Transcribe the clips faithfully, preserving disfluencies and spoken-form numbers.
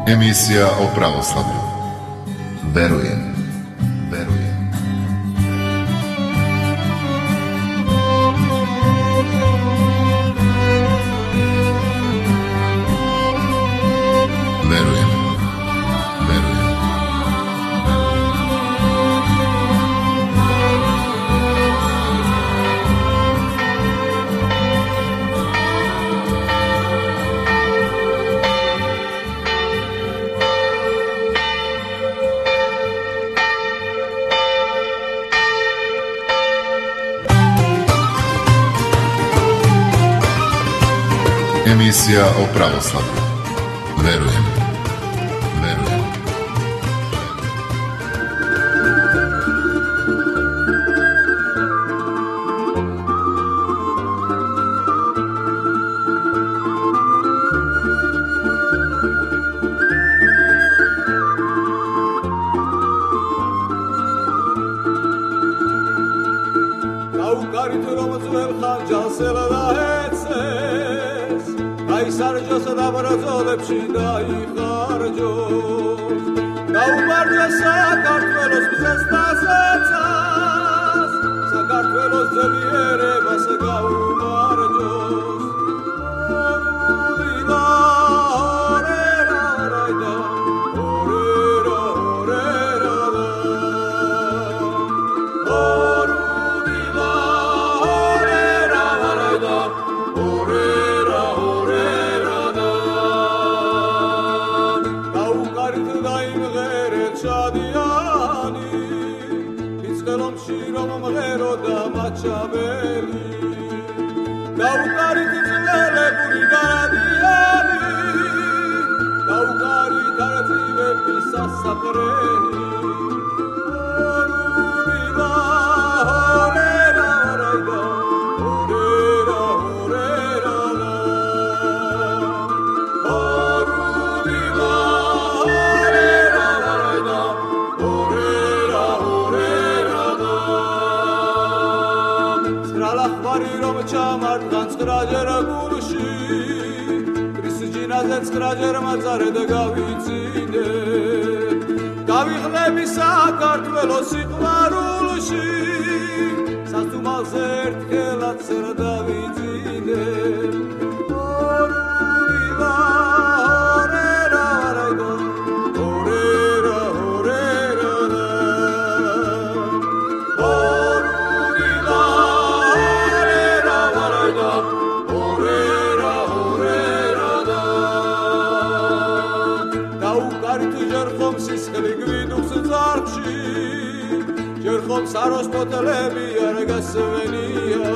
Emisija o pravoslavlju. Verujem, verujem. Verujem, verujem. Emisija o pravoslavlju. Verujem, verujem. Kaukarit romzvel khanjasel daetses Kaisarjos dabrozolebshi daikharjos Gaubarja Sakartvelos bzes dasetsas Sakartvelos zelierevas gaumarjos Orudila orera orayda orera orera da Orudila orera orayda orera orera da Kaukarit daim gheret shadiani Itzkelom shirom mghero da machabeli Kaukarit zvele buri daradiani Kaukarit arzive pisa sapreni Orudila orera orayda orera orera da Orudila orera orayda orera orera da Sralakh varirom chamart ganskrajer gulshi Prisjinazet skrajer mazare da gavitside Gaviglebi Sakartvelos iqvarulshi Sastumalzert kelat serdavitside Orudila orera orayda orera orera da Orudila orera orayda orera orera da Kaukarit jerkhom siskheli gviduks zarchi Jerkhom saros potelebi argasvenia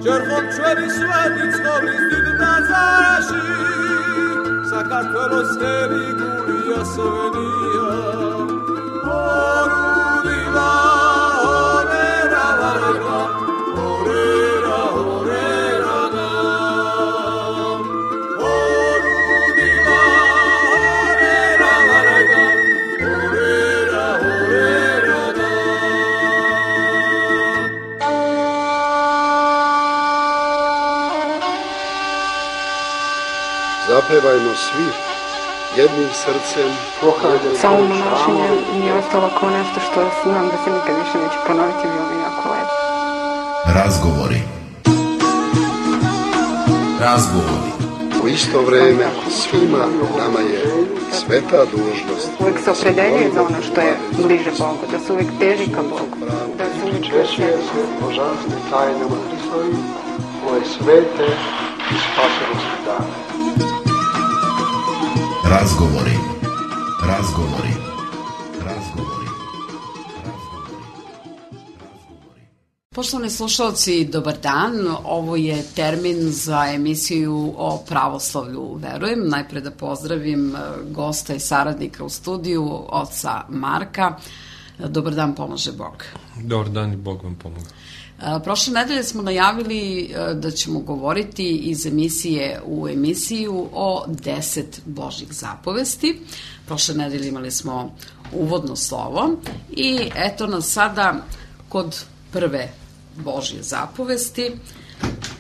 Jerkhom chveli sveti tskovlis did dazarashi Sakartvelos heli guli asvenia Orudila orera orayda orera orera da Orudila orera orayda orera orera da Zapevajmo svi jednim srcem. Samo monašenje mi je ostalo kao nešto što znam da se nikad više neće ponoviti, bilo mi jako lepo. Razgovori. Razgovori. U isto vreme svima nama je sveta dužnost. Uvijek se opredeljuje za ono što je bliže Bogu, da se uvijek teži ka Bogu, da se uvijek Češuje se božanstvim tajnama Hristovim, ove svete i spasonosne dane. Razgovori. Razgovori. Razgovori. Razgovori. Poštovani slušalci, dobar dan. Ovo je termin za emisiju o pravoslavlju Verujem. Najpre da pozdravim gosta i saradnika u studiju, oca Marka. Dobar dan, pomaže Bog. Dobar dan i Bog vam pomoga. Prošle nedelje smo najavili da ćemo govoriti iz emisije u emisiju o deset Božjih zapovesti. Prošle nedelje imali smo uvodno slovo i eto nas sada kod prve Božje zapovesti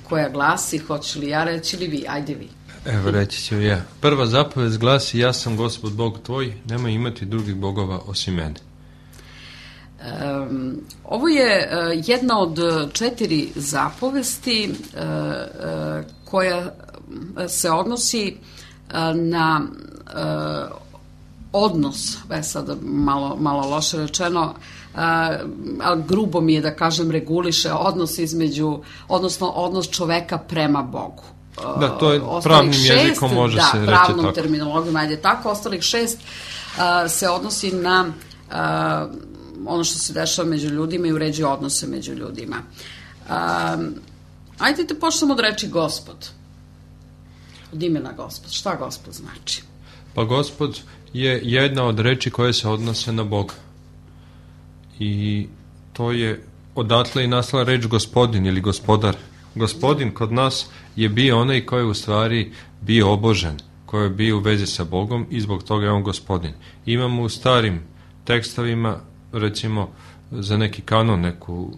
koja glasi, hoće li ja reći ili vi? Ajde vi. Evo, reći ću ja. Prva zapovest glasi: ja sam Gospod Bog tvoj, nemoj imati drugih bogova osim mene. Um, ovo je uh, jedna od četiri zapovesti uh, uh, koja se odnosi uh, na uh, odnos, e sad malo, malo loše rečeno, uh, ali grubo mi je da kažem reguliše odnos između, odnosno odnos čoveka prema Bogu. Da, to je Ostalih pravnim šest, jezikom može da, se reći pravnom tako. terminologijom, ajde tako, ostalih šest uh, se odnosi na uh, ono što se dešava među ljudima i uređuje odnose među ljudima. Um, ajde da počnemo od reči Gospod. Od imena Gospod. Šta Gospod znači? Pa Gospod je jedna od reči koje se odnose na Boga. I to je odatle i nastala reč gospodin ili gospodar. Gospodin kod nas je bio onaj koji je u stvari bio obožen, koji je bio u vezi sa Bogom i zbog toga je on gospodin. Imamo u starim tekstovima, recimo za neki kanon, neku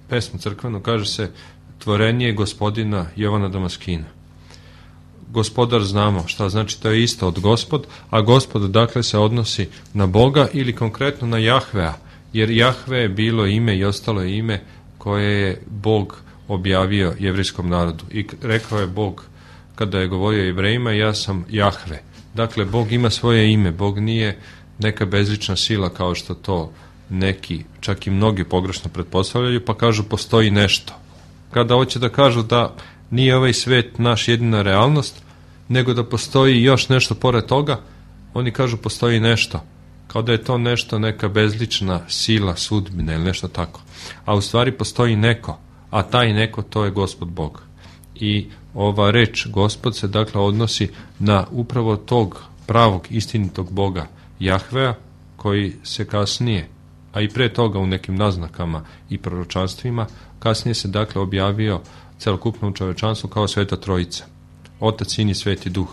pesmu crkvenu, kaže se tvorenje gospodina Jovana Damaskina. Gospodar znamo šta znači, to je isto od Gospod, a Gospod dakle se odnosi na Boga ili konkretno na Jahvea, jer Jahve je bilo ime i ostalo je ime koje je Bog objavio jevrijskom narodu. I rekao je Bog, kada je govorio Jevrejima, ja sam Jahve. Dakle, Bog ima svoje ime, Bog nije neka bezlična sila kao što to neki, čak i mnogi pogrešno pretpostavljaju, pa kažu postoji nešto. Kada hoće da kažu da nije ovaj svet naš jedina realnost, nego da postoji još nešto pored toga, oni kažu postoji nešto. Kao da je to nešto neka bezlična sila, sudbina ili nešto tako. A u stvari postoji neko, a taj neko to je Gospod Bog. I ova reč Gospod se dakle odnosi na upravo tog pravog, istinitog Boga Jahvea, koji se kasnije, a i pre toga u nekim naznakama i proročanstvima, kasnije se dakle objavio celokupnom čovečanstvu kao Sveta Trojica. Otac, Sin i Sveti Duh.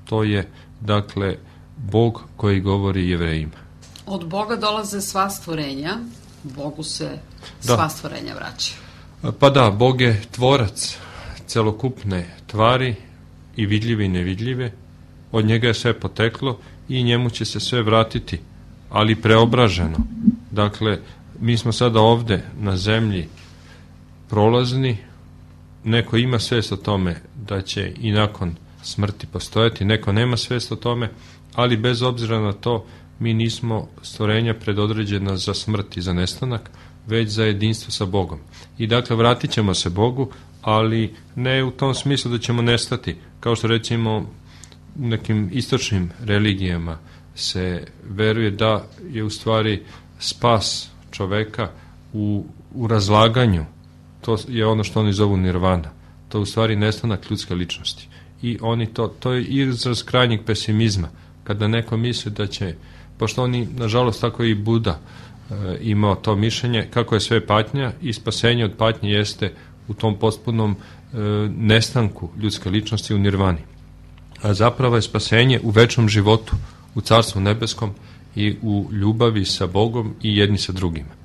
To je dakle Bog koji govori Jevrejima. Od Boga dolaze sva stvorenja, Bogu se sva da. stvorenja vraćaju. Pa da, Bog je tvorac celokupne tvari, i vidljive i nevidljive, od njega je sve poteklo i njemu će se sve vratiti, ali preobraženo. Dakle, mi smo sada ovde na zemlji prolazni, neko ima svest o tome da će i nakon smrti postojati, neko nema svest o tome, ali bez obzira na to mi nismo stvorenja predodređena za smrt i za nestanak, već za jedinstvo sa Bogom. I dakle, vratit ćemo se Bogu, ali ne u tom smislu da ćemo nestati, kao što recimo u nekim istočnim religijama se veruje da je u stvari spas čoveka u, u razlaganju. To je ono što oni zovu nirvana. To je u stvari nestanak ljudske ličnosti. I oni to, to je izraz krajnjeg pesimizma, kada neko misli da će, pošto oni, nažalost, tako i Buda e, imao to mišljenje, kako je sve patnja i spasenje od patnje jeste u tom potpunom e, nestanku ljudske ličnosti u nirvani. A zapravo je spasenje u večnom životu, u Carstvu nebeskom i u ljubavi sa Bogom i jedni sa drugima.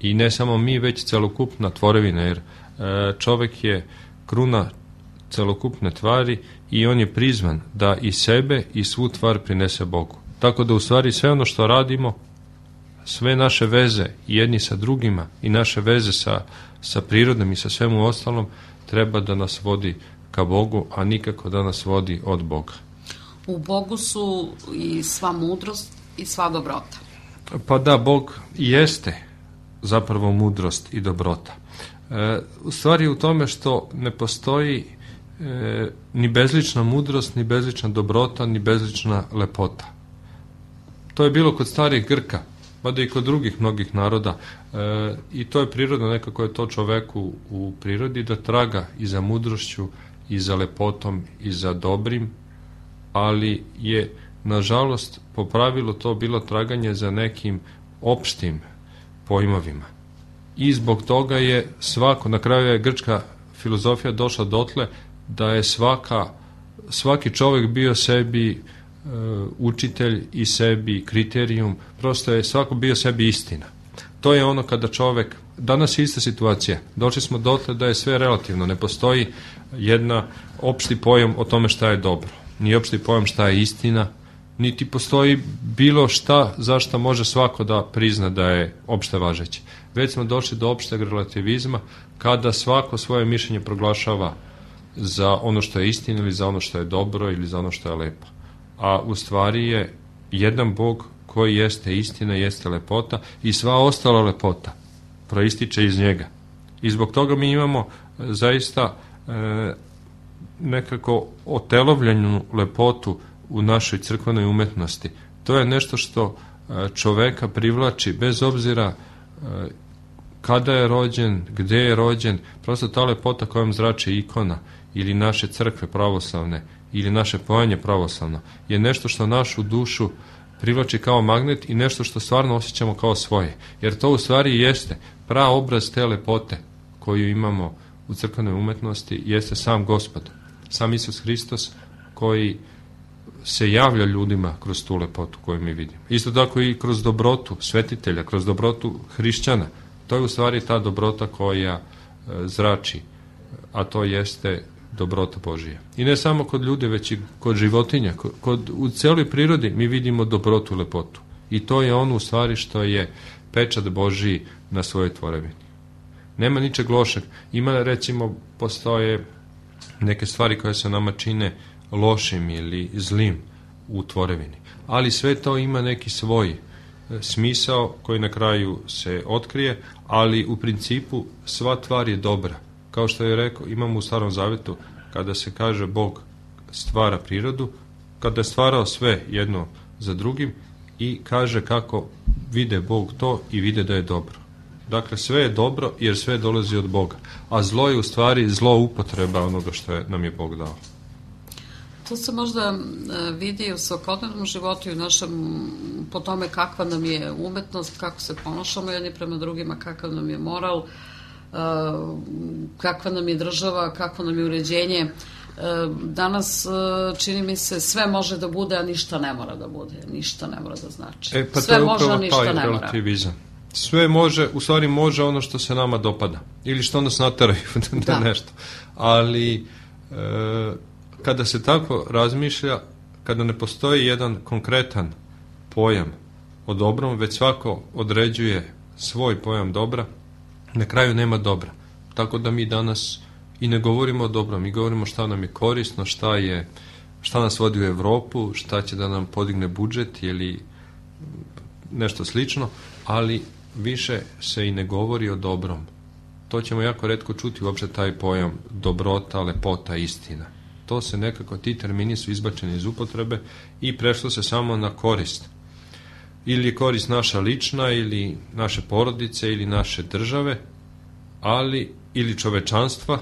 I ne samo mi, već celokupna tvorevina, jer e, čovek je kruna celokupne tvari i on je prizvan da i sebe i svu tvar prinese Bogu. Tako da u stvari sve ono što radimo, sve naše veze jedni sa drugima i naše veze sa, sa prirodom i sa svemu ostalom treba da nas vodi ka Bogu, a nikako da nas vodi od Boga. U Bogu su i sva mudrost i sva dobrota. Pa da, Bog jeste zapravo mudrost i dobrota. E, u stvari u tome što ne postoji e, ni bezlična mudrost, ni bezlična dobrota, ni bezlična lepota. To je bilo kod starih Grka, mada i kod drugih mnogih naroda, e, i to je prirodno, nekako je to čoveku u prirodi da traga i za mudrošću, i za lepotom, i za dobrim, ali je, nažalost, po pravilu to bilo traganje za nekim opštim pojmovima. I zbog toga je svako, na kraju je grčka filozofija došla dotle da je svaka, svaki čovjek bio sebi e, učitelj i sebi kriterijum, prosto je svako bio sebi istina. To je ono kada čovjek danas je ista situacija. Došli smo dotle da je sve relativno. Ne postoji jedna opšti pojam o tome šta je dobro. Ni opšti pojam šta je istina, niti postoji bilo šta zašto može svako da prizna da je opšte važeće. Već smo došli do opšteg relativizma kada svako svoje mišljenje proglašava za ono što je istina ili za ono što je dobro ili za ono što je lepo. A u stvari je jedan Bog koji jeste istina, jeste lepota i sva ostala lepota proističe iz njega. I zbog toga mi imamo zaista e, nekako otelovljenu lepotu u našoj crkvenoj umetnosti. To je nešto što čoveka privlači bez obzira kada je rođen, gde je rođen, prosto ta lepota kojom zrači ikona ili naše crkve pravoslavne ili naše pojanje pravoslavno je nešto što našu dušu privlači kao magnet i nešto što stvarno osjećamo kao svoje. Jer to u stvari jeste prav obraz te lepote koju imamo u crkvenoj umetnosti, jeste sam Gospod, sam Isus Hristos koji se javlja ljudima kroz tu lepotu koju mi vidimo. Isto tako i kroz dobrotu svetitelja, kroz dobrotu hrišćana. To je u stvari ta dobrota koja e, zrači, a to jeste dobrota Božija. I ne samo kod ljudi, već i kod životinja. Kod, kod, u celoj prirodi mi vidimo dobrotu, lepotu. I to je ono u stvari što je pečat Božiji na svojoj tvorevini. Nema ničeg lošeg. Ima, recimo, postoje neke stvari koje se nama čine lošim ili zlim u tvorevini. Ali sve to ima neki svoj smisao koji na kraju se otkrije, ali u principu sva tvar je dobra. Kao što je rekao, imamo u Starom Zavetu kada se kaže Bog stvara prirodu, kada je stvarao sve jedno za drugim i kaže kako vide Bog to i vide da je dobro. Dakle, sve je dobro jer sve dolazi od Boga, a zlo je u stvari zlo upotreba onoga što je, nam je Bog dao. To se možda vidi u svakodnevnom životu i u našem, po tome kakva nam je umetnost, kako se ponašamo jedni prema drugima, kakav nam je moral, kakva nam je država, kakvo nam je uređenje. Danas, čini mi se, sve može da bude, a ništa ne mora da bude, ništa ne mora da znači. E, pa sve to može, a ništa taj ne mora. Relativizam. Sve može, u stvari može ono što se nama dopada. Ili što nas nateraju da nešto. Ali e, kada se tako razmišlja, kada ne postoji jedan konkretan pojam o dobrom, već svako određuje svoj pojam dobra, na kraju nema dobra. Tako da mi danas i ne govorimo o dobrom, mi govorimo šta nam je korisno, šta je, šta nas vodi u Evropu, šta će da nam podigne budžet ili nešto slično, ali više se i ne govori o dobrom. To ćemo jako retko čuti uopšte taj pojam dobrota, lepota, istina. To se nekako, ti termini su izbačeni iz upotrebe i prešlo se samo na korist. Ili je korist naša lična, ili naše porodice, ili naše države, ali, ili čovečanstva,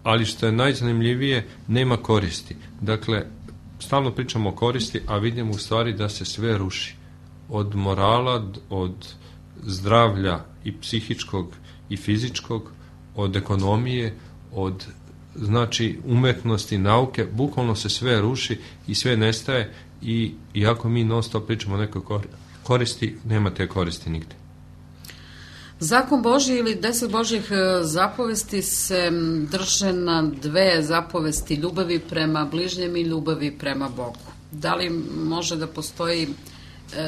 ali što je najzanimljivije, nema koristi. Dakle, stalno pričamo o koristi, a vidimo u stvari da se sve ruši. Od morala, od zdravlja i psihičkog i fizičkog, od ekonomije, od znači umetnosti, nauke, bukvalno se sve ruši i sve nestaje i iako mi non stop pričamo o nekoj koristi, nema te koristi nigde. Zakon Božji ili deset Božjih zapovesti se drže na dve zapovesti, ljubavi prema bližnjem i ljubavi prema Bogu. Da li može da postoji,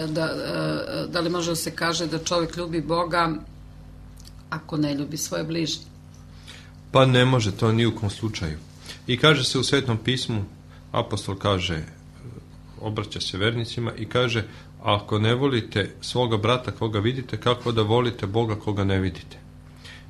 da, da li može da se kaže da čovjek ljubi Boga ako ne ljubi svoje bližnje? Pa ne može, to ni u kom slučaju. I kaže se u Svetom pismu, apostol kaže, obraća se vernicima i kaže, ako ne volite svoga brata koga vidite, kako da volite Boga koga ne vidite?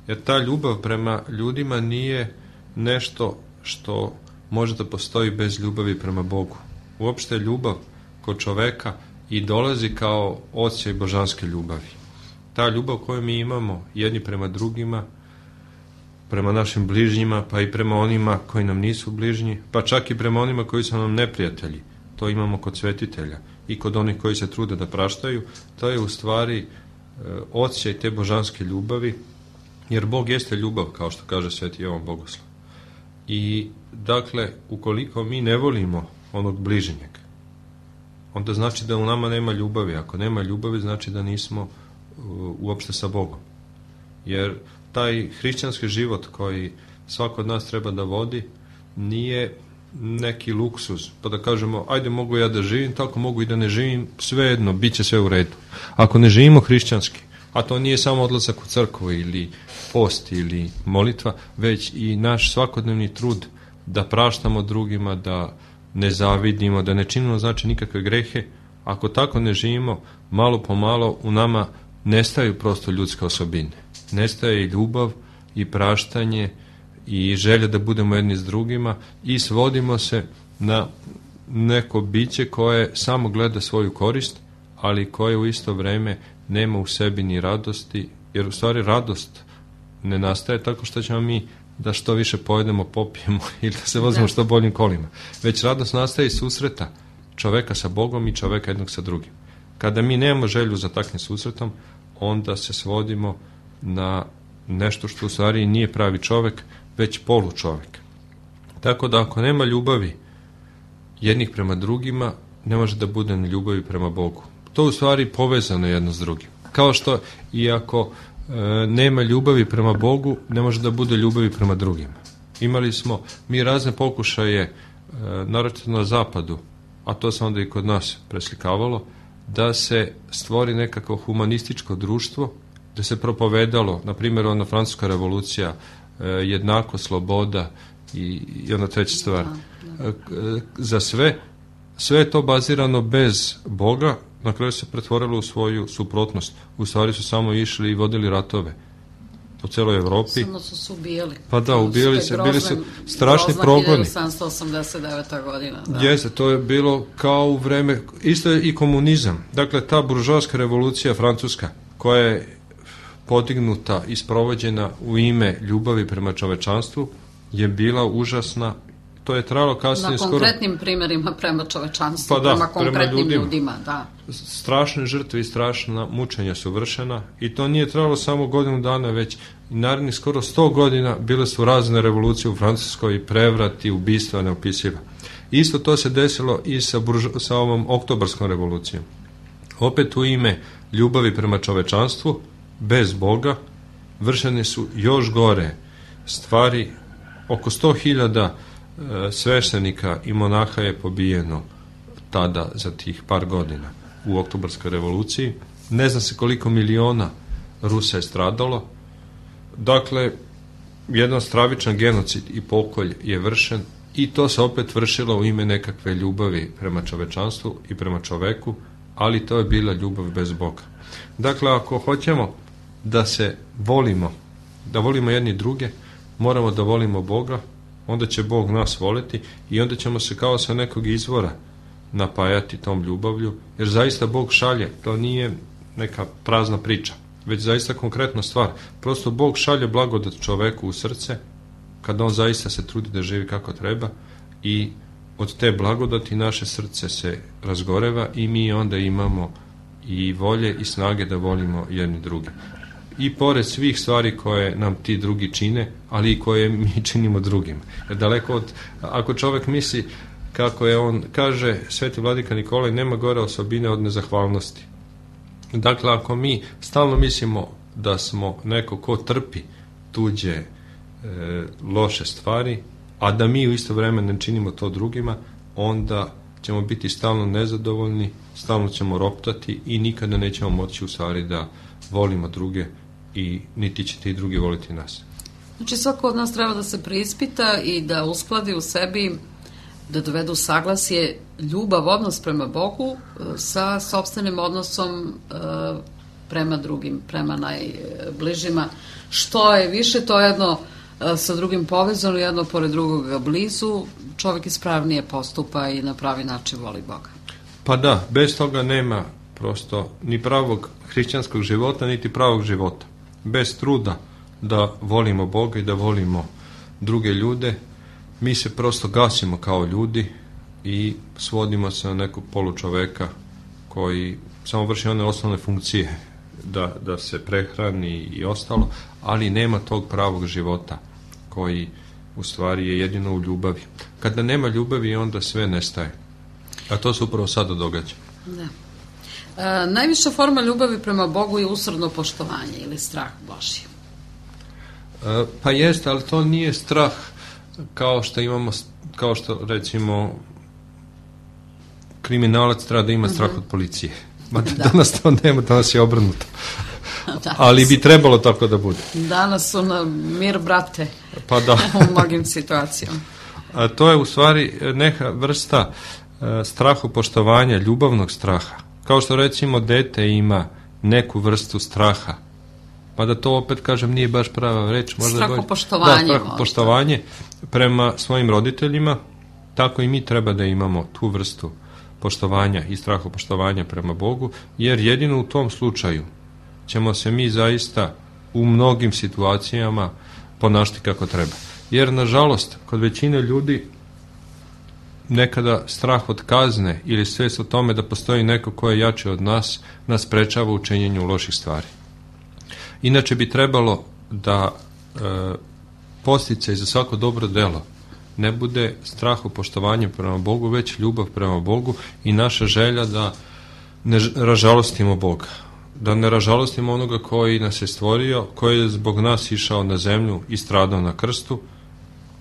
Jer ta ljubav prema ljudima nije nešto što može da postoji bez ljubavi prema Bogu. Uopšte ljubav kod čoveka i dolazi kao osjećaj božanske ljubavi. Ta ljubav koju mi imamo jedni prema drugima, prema našim bližnjima, pa i prema onima koji nam nisu bližnji, pa čak i prema onima koji su nam neprijatelji. To imamo kod svetitelja i kod onih koji se trude da praštaju. To je u stvari e, osjećaj te božanske ljubavi, jer Bog jeste ljubav, kao što kaže Sveti Jovan Bogoslov. I dakle, ukoliko mi ne volimo onog bližnjeg, onda znači da u nama nema ljubavi. Ako nema ljubavi, znači da nismo uh, uopšte sa Bogom. Jer taj hrišćanski život koji svako od nas treba da vodi nije neki luksuz, pa da kažemo ajde mogu ja da živim, tako mogu i da ne živim, svejedno, bit će sve u redu. Ako ne živimo hrišćanski, a to nije samo odlazak u crkvu ili post ili molitva, već i naš svakodnevni trud da praštamo drugima, da ne zavidimo, da ne činimo znači nikakve grehe, ako tako ne živimo, malo po malo u nama nestaju prosto ljudske osobine. Nestaje i ljubav i praštanje i želja da budemo jedni s drugima i svodimo se na neko biće koje samo gleda svoju korist, ali koje u isto vreme nema u sebi ni radosti, jer u stvari radost ne nastaje tako što ćemo mi da što više pojedemo, popijemo ili da se vozimo što boljim kolima. Već radost nastaje iz susreta čoveka sa Bogom i čoveka jednog sa drugim. Kada mi nemamo želju za takvim susretom, onda se svodimo na nešto što u stvari nije pravi čovek, već polu čovek. Tako da ako nema ljubavi jednih prema drugima, ne može da bude ni ljubavi prema Bogu. To u stvari povezano jedno s drugim. Kao što i ako e, nema ljubavi prema Bogu, ne može da bude ljubavi prema drugima. Imali smo mi razne pokušaje, e, naročito na zapadu, a to se onda i kod nas preslikavalo, da se stvori nekako humanističko društvo, da se propovedalo, na primjer, ona francuska revolucija, jednako, sloboda i, i ona treća stvar. Da, da. Za sve, sve je to bazirano bez Boga, na kraju se pretvorilo u svoju suprotnost. U stvari su samo išli i vodili ratove po celoj Evropi. Samo su se ubijali. Pa da, ubijali se, bili su strašni progoni. hiljadu sedamsto osamdeset deveta godina. Da. Jeste, to je bilo kao u vreme, isto je i komunizam. Dakle, ta buržoaska revolucija francuska, koja je podignuta i sprovođena u ime ljubavi prema čovečanstvu, je bila užasna. To je trajalo kasnije skoro... Na konkretnim skoro... primjerima prema čovečanstvu, pa da, prema konkretnim prema ljudima. ljudima. Da. Strašne žrtve i strašna mučenja su vršena i to nije trajalo samo godinu dana, već i narednih skoro sto godina bile su razne revolucije u Francuskoj i prevrati, ubistva neopisiva. Isto to se desilo i sa, buržo... sa ovom oktobarskom revolucijom. Opet u ime ljubavi prema čovečanstvu, bez Boga, vršene su još gore stvari. Oko sto hiljada e, sveštenika i monaha je pobijeno tada za tih par godina u oktobarskoj revoluciji. Ne zna se koliko miliona Rusa je stradalo. Dakle, jedan stravičan genocid i pokolj je vršen i to se opet vršilo u ime nekakve ljubavi prema čovečanstvu i prema čoveku, ali to je bila ljubav bez Boga. Dakle, ako hoćemo da se volimo, da volimo jedni druge, moramo da volimo Boga, onda će Bog nas voliti i onda ćemo se kao sa nekog izvora napajati tom ljubavlju, jer zaista Bog šalje, to nije neka prazna priča, već zaista konkretna stvar. Prosto Bog šalje blagodat čoveku u srce, kada on zaista se trudi da živi kako treba i od te blagodati naše srce se razgoreva i mi onda imamo i volje i snage da volimo jedni druge. I pored svih stvari koje nam ti drugi čine, ali i koje mi činimo drugim. Jer daleko od, ako čovek misli, kako je on kaže, Sveti vladika Nikolaj, nema gore osobine od nezahvalnosti. Dakle, ako mi stalno mislimo da smo neko ko trpi tuđe e, loše stvari, a da mi u isto vreme ne činimo to drugima, onda ćemo biti stalno nezadovoljni, stalno ćemo roptati i nikada nećemo moći u stvari da volimo druge i niti će ti drugi voliti nas. Znači, svako od nas treba da se preispita i da uskladi u sebi, da dovedu saglasje ljubav, odnos prema Bogu sa sopstvenim odnosom prema drugim, prema najbližima. Što je više, to jedno sa drugim povezano, jedno pored drugoga blizu, čovjek ispravnije postupa i na pravi način voli Boga. Pa da, bez toga nema prosto ni pravog hrišćanskog života, niti pravog života. Bez truda da volimo Boga i da volimo druge ljude, mi se prosto gasimo kao ljudi i svodimo se na nekog polučoveka koji samo vrši one osnovne funkcije da, da se prehrani i ostalo, ali nema tog pravog života koji u stvari je jedino u ljubavi. Kada nema ljubavi, onda sve nestaje. A to se upravo sada događa. Da. E, najviša forma ljubavi prema Bogu je usrdno poštovanje ili strah Božji. E, pa jeste, ali to nije strah kao što imamo, kao što recimo kriminalac treba da ima strah od policije. Ma da. Danas to nema, danas je obrnuto. Ali bi trebalo tako da bude. Danas su na mir brate pa da. u mnogim situacijama. A to je u stvari neka vrsta e, strahopoštovanja, ljubavnog straha. Kao što recimo dete ima neku vrstu straha. Pa da to opet kažem nije baš prava reč. Strahopoštovanje. Da, strahopoštovanje prema svojim roditeljima. Tako i mi treba da imamo tu vrstu poštovanja i strahopoštovanja prema Bogu, jer jedino u tom slučaju ćemo se mi zaista u mnogim situacijama ponašati kako treba. Jer, nažalost, kod većine ljudi nekada strah od kazne ili svest o tome da postoji neko ko je jači od nas, nas sprečava u činjenju loših stvari. Inače bi trebalo da e, posticaj za svako dobro delo ne bude strahopoštovanje prema Bogu, već ljubav prema Bogu i naša želja da ne ražalostimo Boga. Da ne ražalostimo onoga koji nas je stvorio, koji je zbog nas išao na zemlju i stradao na krstu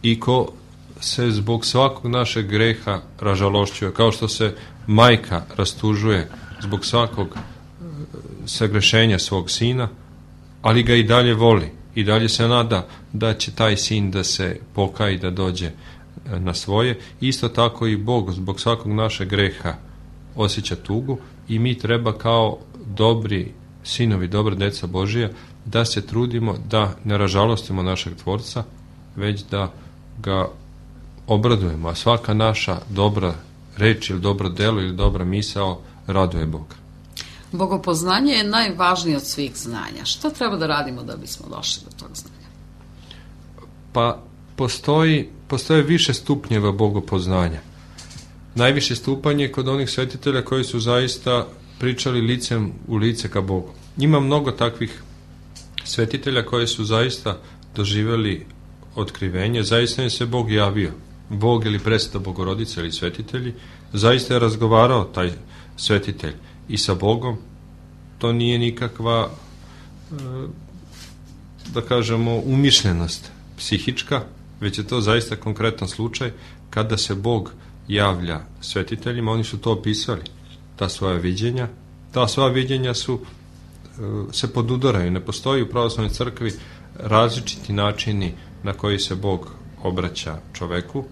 i ko se zbog svakog našeg greha ražalošćuje, kao što se majka rastužuje zbog svakog sagrešenja svog sina, ali ga i dalje voli i dalje se nada da će taj sin da se pokaje i da dođe na svoje. Isto tako i Bog zbog svakog našeg greha osjeća tugu i mi treba kao dobri sinovi, dobra deca Božija da se trudimo da ne ražalostimo našeg Tvorca, već da ga obradujemo, a svaka naša dobra reč ili dobro delo ili dobra misao raduje Boga. Bogopoznanje je najvažnije od svih znanja. Šta treba da radimo da bismo došli do tog znanja? Pa postoji, postoje više stupnjeva bogopoznanja. Najviše stupanj je kod onih svetitelja koji su zaista pričali licem u lice ka Bogu. Ima mnogo takvih svetitelja koji su zaista doživjeli otkrivenje, zaista im se Bog javio. Bog ili presveta Bogorodica ili svetitelji, zaista je razgovarao taj svetitelj i sa Bogom. To nije nikakva, da kažemo, umišljenost psihička, već je to zaista konkretan slučaj kada se Bog javlja svetiteljima. Oni su to opisali, ta svoja viđenja. Ta svoja viđenja su, se podudaraju. Ne postoji u pravoslavnoj crkvi različiti načini na koji se Bog obraća čoveku.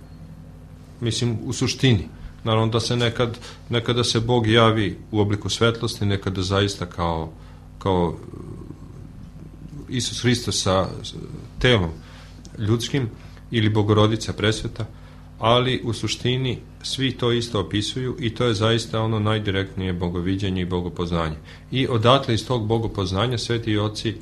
Mislim, u suštini. Naravno da se nekad, nekada se Bog javi u obliku svetlosti, nekada zaista kao, kao Isus Hristos sa telom ljudskim ili Bogorodica presveta, ali u suštini svi to isto opisuju i to je zaista ono najdirektnije bogoviđenje i bogopoznanje. I odatle iz tog bogopoznanja sveti oci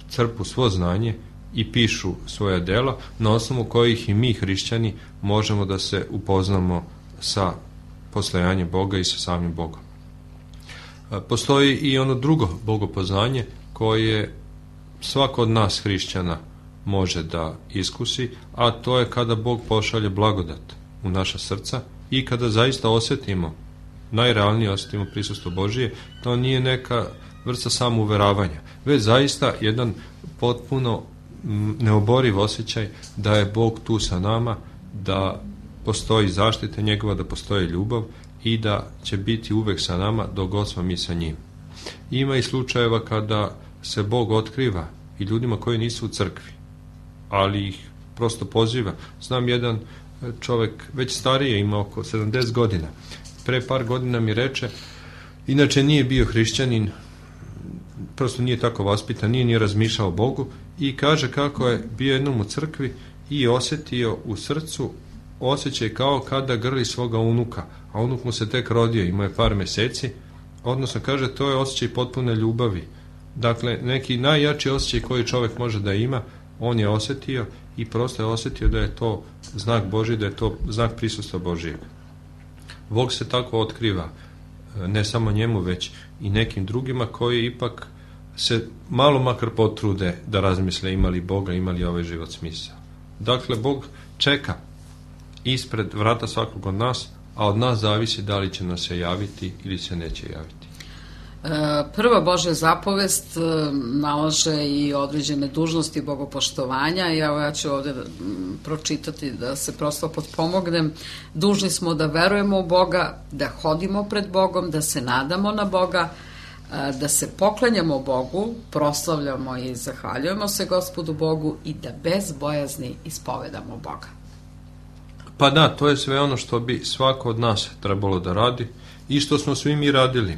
crpu svo znanje i pišu svoja dela, na osnovu kojih i mi hrišćani možemo da se upoznamo sa postojanjem Boga i sa samim Bogom. Postoji i ono drugo bogopoznanje koje svako od nas hrišćana može da iskusi, a to je kada Bog pošalje blagodat u naša srca i kada zaista osjetimo, najrealnije osjetimo prisustvo Božije. To nije neka vrsta samouveravanja, već zaista jedan potpuno neoboriv osjećaj da je Bog tu sa nama, da postoji zaštita njegova, da postoji ljubav i da će biti uvek sa nama dok god smo mi sa njim. Ima i slučajeva kada se Bog otkriva i ljudima koji nisu u crkvi, ali ih prosto poziva. Znam jedan čovek, već starije, ima oko sedamdeset godina. Pre par godina mi reče, inače nije bio hrišćanin, prosto nije tako vaspitan, nije ni razmišljao o Bogu i kaže kako je bio jednom u crkvi i osjetio u srcu osjećaj kao kada grli svoga unuka, a unuk mu se tek rodio, imao je par meseci, odnosno kaže to je osjećaj potpune ljubavi. Dakle, neki najjači osjećaj koji čovjek može da ima, on je osjetio i prosto je osjetio da je to znak Božji, da je to znak prisustva Božijeg. Bog se tako otkriva, ne samo njemu, već i nekim drugima koji ipak se malo makar potrude da razmisle imali Boga, imali ovaj život smisao. Dakle, Bog čeka ispred vrata svakog od nas, a od nas zavisi da li će nas se javiti ili se neće javiti. Prva Božja zapovest nalaže i određene dužnosti bogopoštovanja i evo ja ću ovde pročitati da se prosto potpomognem. Dužni smo da verujemo u Boga, da hodimo pred Bogom, da se nadamo na Boga, da se poklanjamo Bogu, proslavljamo i zahvaljujemo se Gospodu Bogu i da bez bojazni ispovedamo Boga. Pa da, to je sve ono što bi svako od nas trebalo da radi i što smo svi mi radili.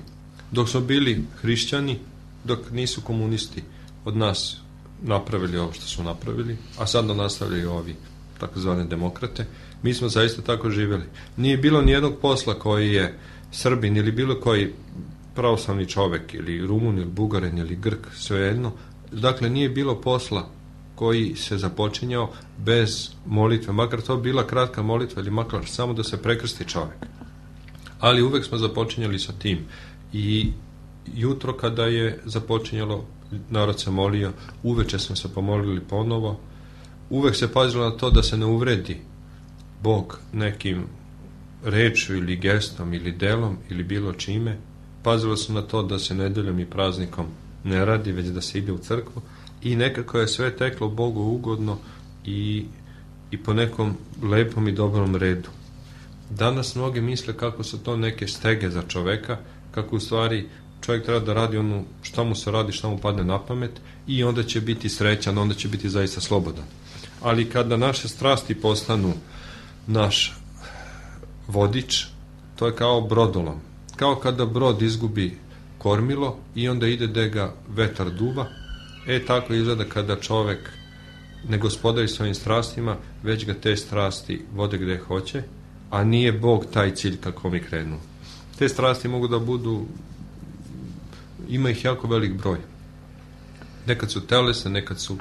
Dok smo bili hrišćani, dok nisu komunisti od nas napravili ovo što su napravili, a sad da nastavljaju ovi takozvane demokrate, mi smo zaista tako živjeli. Nije bilo nijednog posla koji je Srbin ili bilo koji pravoslavni čovek ili Rumun ili Bugarin ili Grk, svejedno. Dakle, nije bilo posla koji se započinjao bez molitve, makar to bila kratka molitva ili makar samo da se prekrsti čovek. Ali uvek smo započinjali sa tim. I jutro kada je započinjalo, narod se molio, uveče smo se pomolili ponovo, uvek se pazilo na to da se ne uvredi Bog nekim rečju ili gestom ili delom ili bilo čime, pazilo se na to da se nedeljom i praznikom ne radi, već da se ide u crkvu i nekako je sve teklo Bogu ugodno i, i po nekom lepom i dobrom redu. Danas mnogi misle kako su to neke stege za čoveka, kako u stvari čovjek treba da radi ono šta mu se radi, šta mu padne na pamet i onda će biti srećan, onda će biti zaista slobodan. Ali kada naše strasti postanu naš vodič, to je kao brodolom. Kao kada brod izgubi kormilo i onda ide da ga vetar duva, e tako izgleda kada čovek ne gospodari svojim strastima, već ga te strasti vode gde hoće, a nije Bog taj cilj kako mi krenu. Te strasti mogu da budu, ima ih jako velik broj. Nekad su telesne, nekad su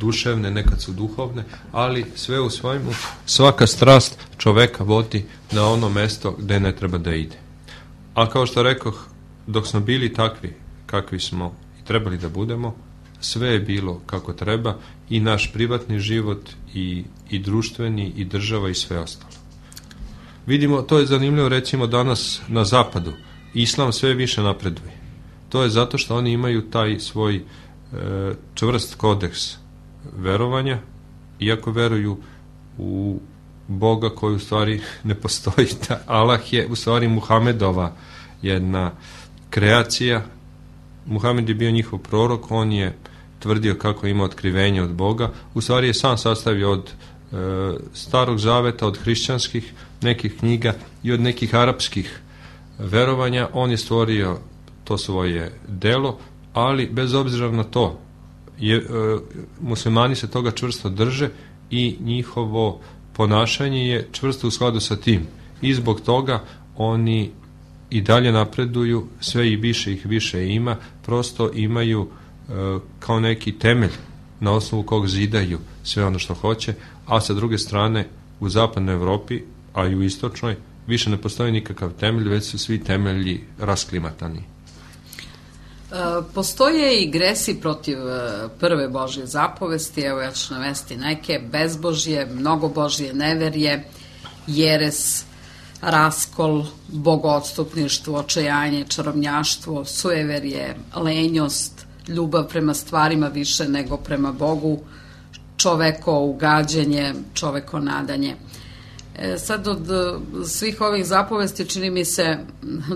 duševne, nekad su duhovne, ali sve u svojemu, svaka strast čoveka vodi na ono mesto gde ne treba da ide. A kao što rekoh, dok smo bili takvi kakvi smo i trebali da budemo, sve je bilo kako treba i naš privatni život i, i društveni i država i sve ostalo. Vidimo, to je zanimljivo recimo danas na zapadu. Islam sve više napreduje. To je zato što oni imaju taj svoj e, čvrst kodeks verovanja, iako veruju u Boga koji u stvari ne postoji. Allah je u stvari Muhamedova jedna kreacija. Muhamed je bio njihov prorok, on je tvrdio kako ima otkrivenje od Boga. U stvari je sam sastavio od e, starog zaveta, od hrišćanskih nekih knjiga i od nekih arapskih verovanja. On je stvorio to svoje delo, ali bez obzira na to je, e, muslimani se toga čvrsto drže i njihovo ponašanje je čvrsto u skladu sa tim. I zbog toga oni i dalje napreduju, sve i više ih više ima, prosto imaju e, kao neki temelj na osnovu kog zidaju sve ono što hoće, a sa druge strane u zapadnoj Evropi, a i u istočnoj, više ne postoji nikakav temelj, već su svi temelji rasklimatani. Postoje i gresi protiv prve Božje zapovesti, evo ja ću navesti neke: bezbožje, mnogobožje, neverje, jeres, raskol, bogoodstupništvo, očajanje, čarobnjaštvo, sujeverje, lenjost, ljubav prema stvarima više nego prema Bogu, čoveko ugađanje, čoveko nadanje. E, sad od svih ovih zapovesti čini mi se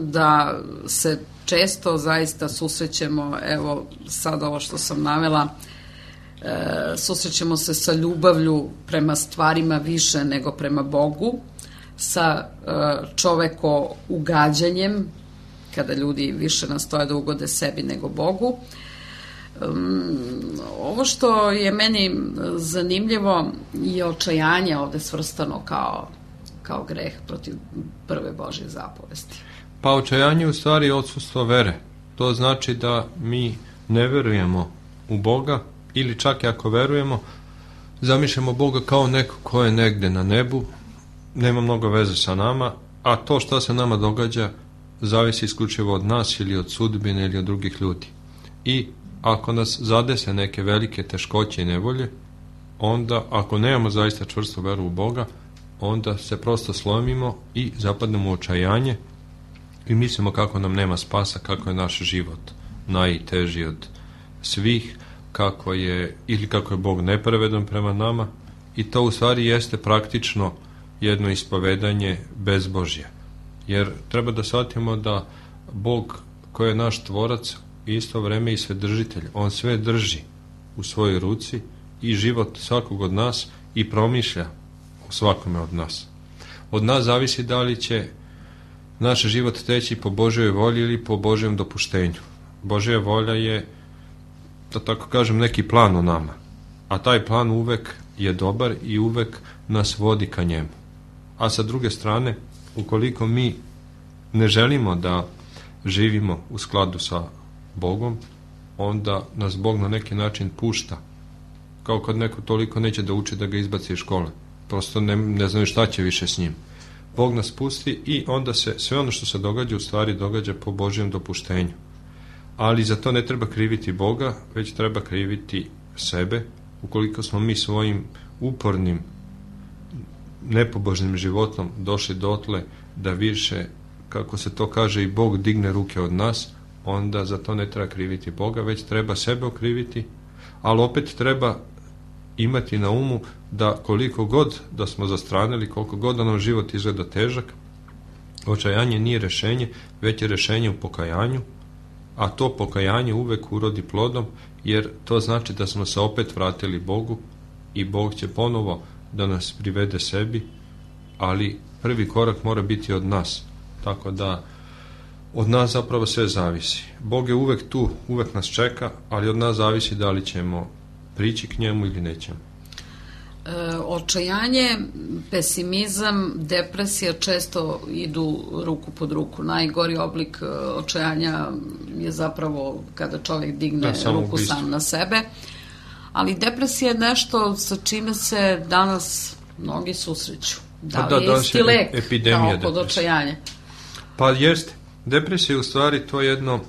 da se često zaista susrećemo, evo sad ovo što sam navela, e, susrećemo se sa ljubavlju prema stvarima više nego prema Bogu, sa e, čoveko ugađanjem, kada ljudi više nastoje da ugode sebi nego Bogu. Um, ovo što je meni zanimljivo je očajanje ovde svrstano kao, kao greh protiv prve Božje zapovesti. Pa očajanje u stvari je odsustvo vere. To znači da mi ne verujemo u Boga, ili čak i ako verujemo, zamišljamo Boga kao neko ko je negde na nebu, nema mnogo veze sa nama, a to što se nama događa zavisi isključivo od nas ili od sudbine ili od drugih ljudi. I ako nas zadese neke velike teškoće i nevolje, onda ako nemamo zaista čvrstu veru u Boga, onda se prosto slomimo i zapadnemo u očajanje i mislimo kako nam nema spasa, kako je naš život najteži od svih, kako je, ili kako je Bog nepravedan prema nama, i to u stvari jeste praktično jedno ispovedanje bezbožja. Jer treba da shvatimo da Bog koji je naš tvorac isto vreme i svedržitelj, on sve drži u svojoj ruci i život svakog od nas i promišlja u svakome od nas. Od nas zavisi da li će naš život teći po Božjoj volji ili po Božjem dopuštenju. Božja volja je, da tako kažem, neki plan u nama, a taj plan uvek je dobar i uvek nas vodi ka njemu. A sa druge strane, ukoliko mi ne želimo da živimo u skladu sa Bogom, onda nas Bog na neki način pušta. Kao kad neko toliko neće da uči da ga izbaci iz škole. Prosto ne, ne znaju šta će više s njim. Bog nas pusti i onda se sve ono što se događa u stvari događa po Božjem dopuštenju. Ali za to ne treba kriviti Boga, već treba kriviti sebe, ukoliko smo mi svojim upornim, nepobožnim životom došli dotle da više, kako se to kaže, i Bog digne ruke od nas, onda za to ne treba kriviti Boga, već treba sebe okriviti, ali opet treba imati na umu da koliko god da smo zastranili, koliko god da nam život izgleda težak, očajanje nije rešenje, već je rešenje u pokajanju, a to pokajanje uvek urodi plodom, jer to znači da smo se opet vratili Bogu i Bog će ponovo da nas privede sebi, ali prvi korak mora biti od nas. Tako da od nas zapravo sve zavisi. Bog je uvek tu, uvek nas čeka, ali od nas zavisi da li ćemo prići k njemu ili nećemo. E, očajanje, pesimizam, depresija često idu ruku pod ruku. Najgori oblik očajanja je zapravo kada čovjek digne da, ruku ubistvo. Sam na sebe. Ali depresija je nešto sa čime se danas mnogi susreću. Da li da, je isti lek epidemija kao kod očajanja? Pa jeste. Depresija je u stvari to jedno e,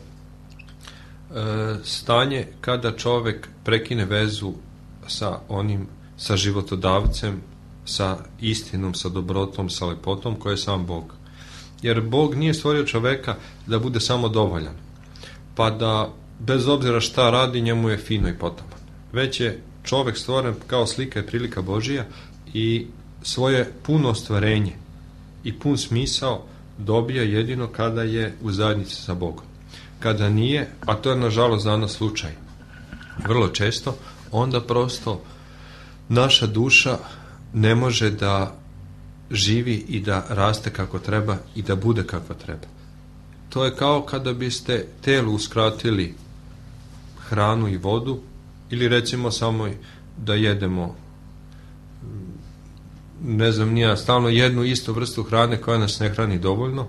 stanje kada čovek prekine vezu sa onim, sa životodavcem, sa istinom, sa dobrotom, sa lepotom koja je sam Bog. Jer Bog nije stvorio čoveka da bude samo dovoljan, pa da bez obzira šta radi njemu je fino i potaman. Već je čovek stvoren kao slika i prilika Božija i svoje puno ostvarenje i pun smisao dobija jedino kada je u zajednici sa Bogom. Kada nije, a to je nažalost danas slučaj vrlo često, onda prosto naša duša ne može da živi i da raste kako treba i da bude kako treba. To je kao kada biste telu uskratili hranu i vodu ili recimo samo da jedemo, ne znam nija, stalno jednu istu vrstu hrane koja nas ne hrani dovoljno,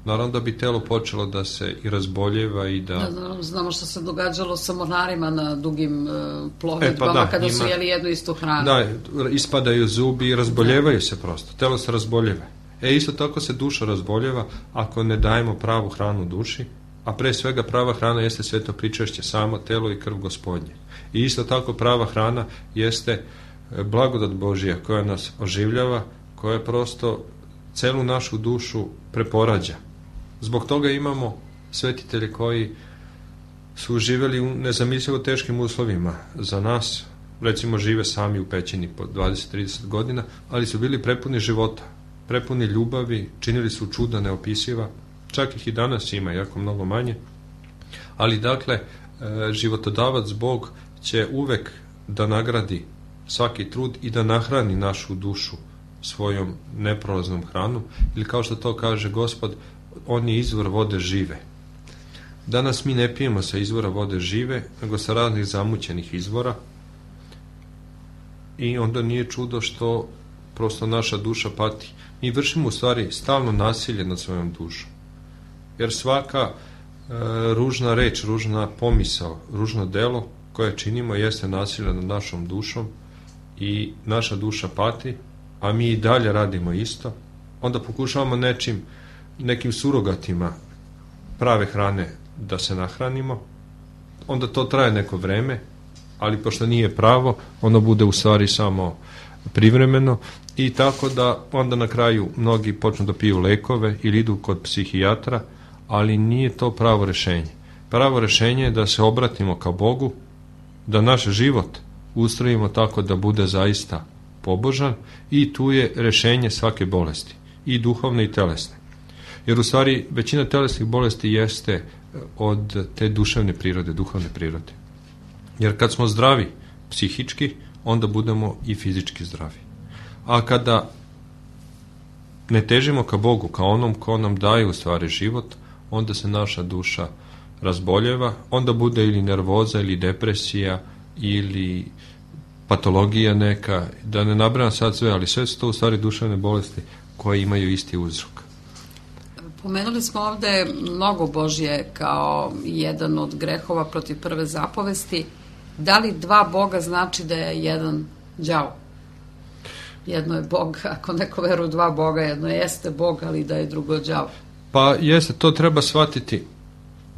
naravno da bi telo počelo da se i razboljeva i da... da znamo što se događalo sa mornarima na dugim uh, plovidbama, e, pa da, kada ima, su jeli jednu istu hranu. Da, ispadaju zubi i razboljevaju se prosto, telo se razboljeva. E, isto tako se duša razboljeva ako ne dajemo pravu hranu duši, a pre svega prava hrana jeste sveto pričešće, samo telo i krv Gospodnje. I isto tako prava hrana jeste blagodat Božija koja nas oživljava, koja prosto celu našu dušu preporađa. Zbog toga imamo svetitelje koji su živeli u nezamislivo teškim uslovima za nas, recimo žive sami u pećini po dvadeset do trideset godina, ali su bili prepuni života, prepuni ljubavi, činili su čuda neopisiva, čak ih i danas ima, jako mnogo manje, ali dakle životodavac Bog će uvek da nagradi svaki trud i da nahrani našu dušu svojom neprolaznom hranom, ili kao što to kaže Gospod, on je izvor vode žive. Danas mi ne pijemo sa izvora vode žive, nego sa raznih zamućenih izvora, i onda nije čudo što prosto naša duša pati. Mi vršimo u stvari stalno nasilje nad svojom dušom, jer svaka e, ružna reč, ružna pomisao, ružno delo koje činimo jeste nasilje nad našom dušom i naša duša pati, a mi i dalje radimo isto. Onda pokušavamo nečim, nekim surogatima prave hrane da se nahranimo, onda to traje neko vreme, ali pošto nije pravo, ono bude u stvari samo privremeno I tako da onda na kraju mnogi počnu da piju lekove ili idu kod psihijatra, ali nije to pravo rešenje. Pravo rešenje je da se obratimo ka Bogu, da naš život ustrojimo tako da bude zaista pobožan i tu je rešenje svake bolesti, i duhovne i telesne. Jer u stvari većina telesnih bolesti jeste od te duševne prirode, duhovne prirode. Jer kad smo zdravi psihički, onda budemo i fizički zdravi. A kada ne težimo ka Bogu, ka onom ko nam daje u stvari život, onda se naša duša razboljeva, onda bude ili nervoza ili depresija ili patologija neka, da ne nabrajam sad sve, ali sve su to u stvari duševne bolesti koje imaju isti uzrok. Pomenuli smo ovde mnogo Božje kao jedan od grehova protiv prve zapovesti. Da li dva Boga znači da je jedan đavo? Jedno je Bog, ako neko veruje u dva Boga, jedno jeste Bog, ali da je drugo đavo. Pa jeste, to treba shvatiti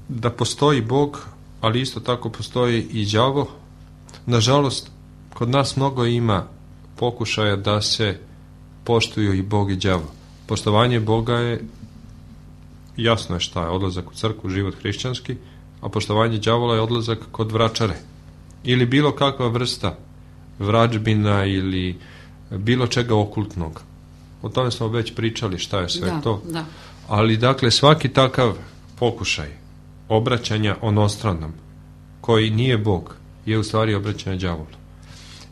da postoji Bog, ali isto tako postoji i đavo. Nažalost, kod nas mnogo ima pokušaja da se poštuju i Bog i đavo. Poštovanje Boga je, jasno je šta je, odlazak u crkvu, život hrišćanski, a poštovanje đavola je odlazak kod vračare. Ili bilo kakva vrsta vrađbina ili bilo čega okultnog. O tome smo već pričali šta je sve da, to. Da. Ali dakle svaki takav pokušaj obraćanja onostranom koji nije Bog je u stvari obraćanje đavolu.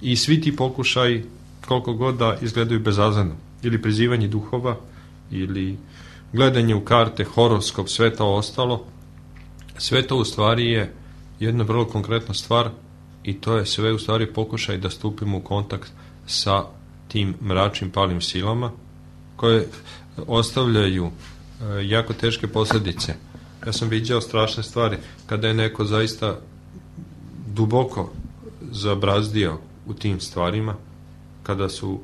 I svi ti pokušaj koliko god da izgledaju bezazleno ili prizivanje duhova ili gledanje u karte, horoskop, sve to ostalo, sve to u stvari je jedna vrlo konkretna stvar i to je sve u stvari pokušaj da stupimo u kontakt sa tim mračnim palim silama koje ostavljaju e, jako teške posljedice. Ja sam viđao strašne stvari kada je neko zaista duboko zabrazdio u tim stvarima, kada su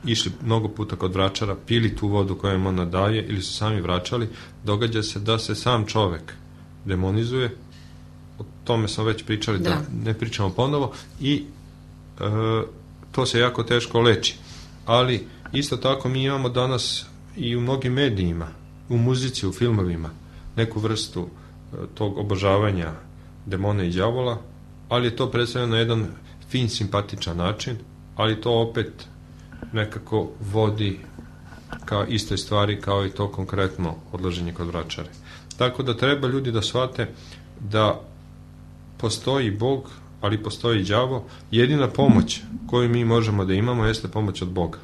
išli mnogo puta kod vračara, pili tu vodu koju im ona daje ili su sami vraćali, događa se da se sam čovek demonizuje. O tome smo već pričali, da, da ne pričamo ponovo, i e, to se jako teško leči. Ali isto tako mi imamo danas i u mnogim medijima, u muzici, u filmovima, neku vrstu e, tog obožavanja demona i đavola, ali je to predstavljeno na jedan fin, simpatičan način, ali to opet nekako vodi ka istoj stvari kao i to konkretno odlaženje kod vračare. Tako da treba ljudi da shvate da postoji Bog, ali postoji đavo. Jedina pomoć koju mi možemo da imamo jeste pomoć od Boga.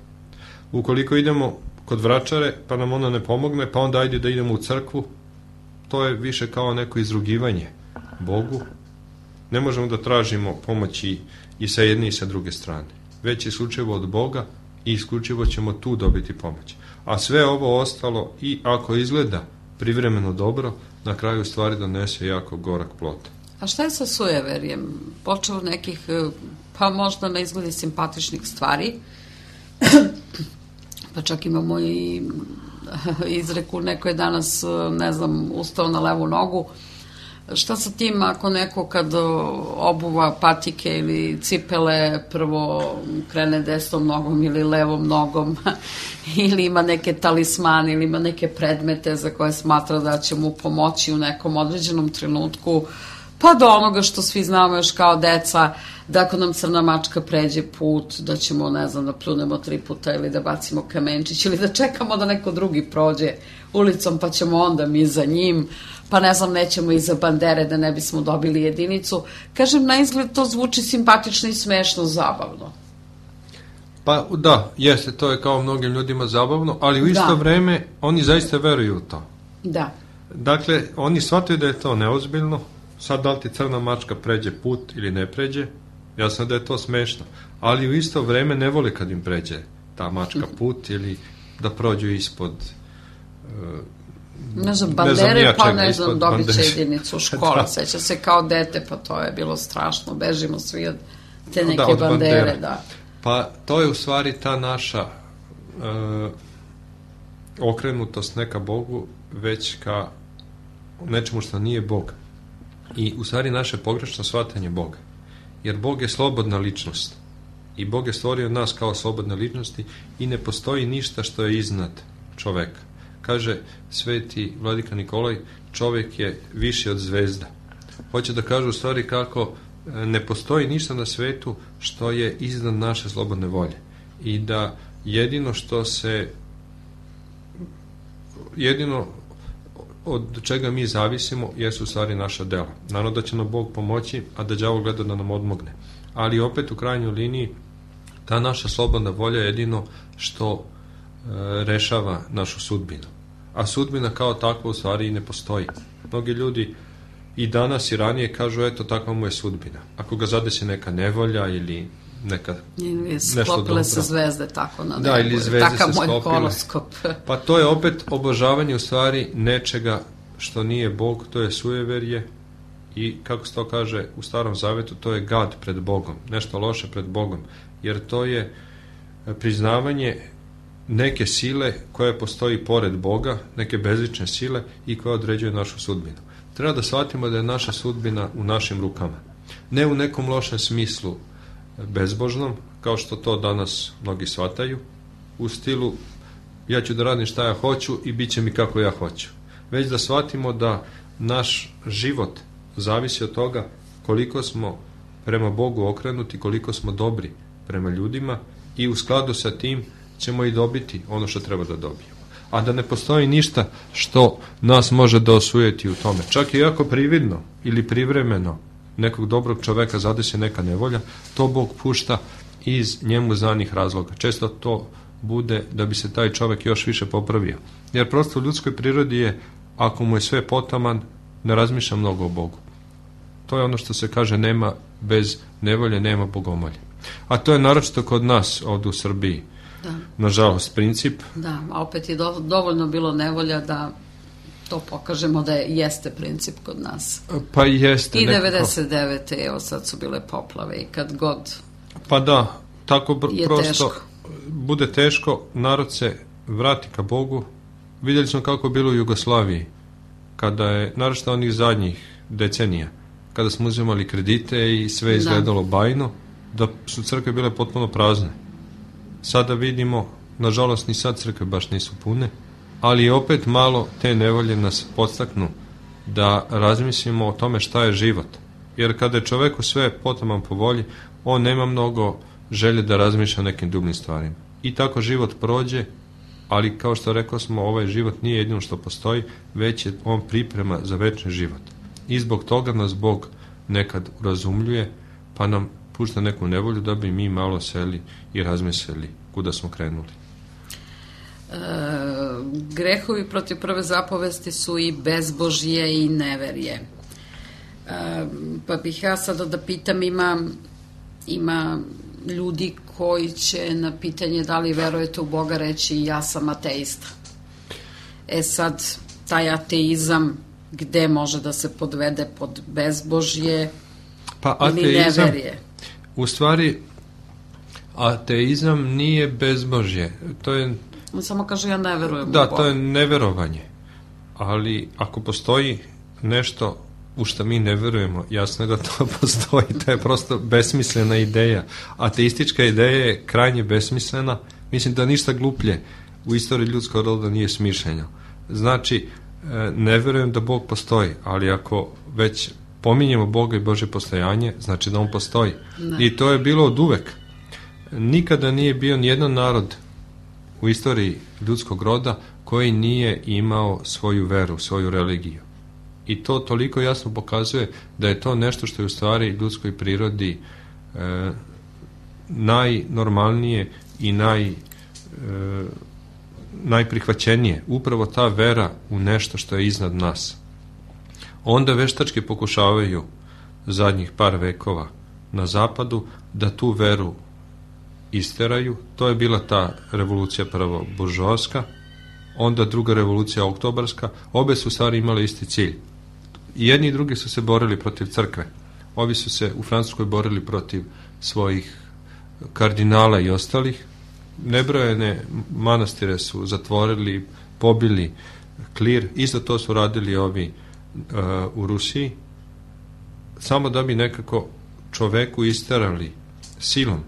Ukoliko idemo kod vračare pa nam ona ne pomogne, pa onda ajde da idemo u crkvu, to je više kao neko izrugivanje Bogu. Ne možemo da tražimo pomoć i, i sa jedne i sa druge strane. Već je isključivo od Boga i isključivo ćemo tu dobiti pomoć. A sve ovo ostalo, i ako izgleda privremeno dobro, na kraju stvari donese jako gorak plod. A šta je sa sujeverjem? Počeo od nekih, pa možda na izgledi simpatičnih stvari, pa čak imamo i izreku, neko je danas, ne znam, ustao na levu nogu. Šta sa tim ako neko kad obuva patike ili cipele prvo krene desnom nogom ili levom nogom ili ima neke talismane ili ima neke predmete za koje smatra da će mu pomoći u nekom određenom trenutku, pa do onoga što svi znamo još kao deca, da ako nam crna mačka pređe put, da ćemo, ne znam, da pljunemo tri puta ili da bacimo kamenčić ili da čekamo da neko drugi prođe ulicom pa ćemo onda mi za njim, pa ne znam, nećemo iza bandere da ne bismo dobili jedinicu. Kažem, na izgled to zvuči simpatično i smešno, zabavno. Pa da, jeste, to je kao mnogim ljudima zabavno, ali u isto da. vreme oni zaista veruju u to. Da. Dakle, oni shvataju da je to neozbiljno. Sad da li ti crna mačka pređe put ili ne pređe, jasno da je to smešno, ali u isto vreme ne vole kad im pređe ta mačka put ili da prođu ispod uh, ne znam, bandere, ne pa ne znam, dobit će jedinicu u škola, seća se kao dete, pa to je bilo strašno, bežimo svi od te neke da, od bandere, bandere, da. Pa to je u stvari ta naša uh, okrenutost neka Bogu, već ka nečemu što nije Bog. I u stvari naše pogrešno shvatanje Boga. Jer Bog je slobodna ličnost. I Bog je stvorio nas kao slobodne ličnosti i ne postoji ništa što je iznad čoveka. Kaže sveti vladika Nikolaj, čovjek je viši od zvezda. Hoće da kaže u stvari kako ne postoji ništa na svetu što je iznad naše slobodne volje. I da jedino što se jedino od čega mi zavisimo jesu u stvari naša dela. Naravno da će nam Bog pomoći, a da đavo gleda da nam odmogne. Ali opet u krajnjoj liniji ta naša slobodna volja je jedino što e, rešava našu sudbinu. A sudbina kao takva u stvari i ne postoji. Mnogi ljudi i danas i ranije kažu eto takva mu je sudbina. Ako ga zadesi neka nevolja ili neka ili sklopile se zvezde tako na nebu. Da, ili zvezde se moj sklopile. horoskop. Pa to je opet obožavanje u stvari nečega što nije Bog, to je sujeverje i kako se to kaže u Starom Zavetu, to je gad pred Bogom, nešto loše pred Bogom, jer to je priznavanje neke sile koja postoji pored Boga, neke bezlične sile i koja određuje našu sudbinu. Treba da shvatimo da je naša sudbina u našim rukama. Ne u nekom lošem smislu bezbožnom, kao što to danas mnogi shvataju, u stilu ja ću da radim šta ja hoću i bit će mi kako ja hoću. Već da shvatimo da naš život zavisi od toga koliko smo prema Bogu okrenuti, koliko smo dobri prema ljudima i u skladu sa tim ćemo i dobiti ono što treba da dobijemo. A da ne postoji ništa što nas može da osujeti u tome. Čak i ako prividno ili privremeno nekog dobrog čoveka zadesi neka nevolja, to Bog pušta iz njemu znanih razloga. Često to bude da bi se taj čovek još više popravio. Jer prosto u ljudskoj prirodi je, ako mu je sve potaman, ne razmišlja mnogo o Bogu. To je ono što se kaže, nema bez nevolje, nema bogomolje. A to je naročito kod nas ovdje u Srbiji. Da. Nažalost, princip. Da, a opet je do, dovoljno bilo nevolja da to pokažemo da je, jeste princip kod nas. Pa jeste. I nekako. devedeset devete evo sad su bile poplave i kad god Pa da, tako br- je prosto teško. Bude teško, narod se vrati ka Bogu. Vidjeli smo kako je bilo u Jugoslaviji, kada je, naročito onih zadnjih decenija, kada smo uzimali kredite i sve izgledalo da. bajno, da su crkve bile potpuno prazne. Sada vidimo, nažalost ni sad crkve baš nisu pune, ali opet malo te nevolje nas podstaknu da razmislimo o tome šta je život. Jer kada je čoveku sve potaman po volji, on nema mnogo želje da razmišlja o nekim dubnim stvarima. I tako život prođe, ali kao što rekao smo, ovaj život nije jedino što postoji, već je on priprema za večni život. I zbog toga nas Bog nekad urazumljuje, pa nam pušta neku nevolju da bi mi malo seli i razmislili kuda smo krenuli. E, grehovi protiv prve zapovesti su i bezbožje i neverje. E, pa bih ja sada da pitam, ima, ima ljudi koji će na pitanje da li verujete u Boga reći ja sam ateista. E sad, taj ateizam gde može da se podvede pod bezbožje pa, ili ateizam, neverje? U stvari, ateizam nije bezbožje. To je... On samo kaže ja ne verujem Da, u Boga. to je neverovanje. Ali ako postoji nešto u što mi ne verujemo, jasno je da to postoji. To je prosto besmislena ideja. Ateistička ideja je krajnje besmislena. Mislim da ništa gluplje u istoriji ljudskog roda nije smišljeno. Znači, ne verujem da Bog postoji, ali ako već pominjemo Boga i Božje postojanje, znači da on postoji. Ne. I to je bilo od uvek. Nikada nije bio nijedan narod u istoriji ljudskog roda koji nije imao svoju veru, svoju religiju. I to toliko jasno pokazuje da je to nešto što je u stvari ljudskoj prirodi e, najnormalnije i naj, e, najprihvaćenije. Upravo ta vera u nešto što je iznad nas. Onda veštački pokušavaju zadnjih par vekova na zapadu da tu veru isteraju. To je bila ta revolucija prvo buržoaska, onda druga revolucija oktobarska. Obe su stvari imale isti cilj. I jedni i drugi su se borili protiv crkve. Ovi su se u Francuskoj borili protiv svojih kardinala i ostalih. Nebrojene manastire su zatvorili, pobili klir. Isto to su radili ovi uh, u Rusiji. Samo da bi nekako čoveku isterali silom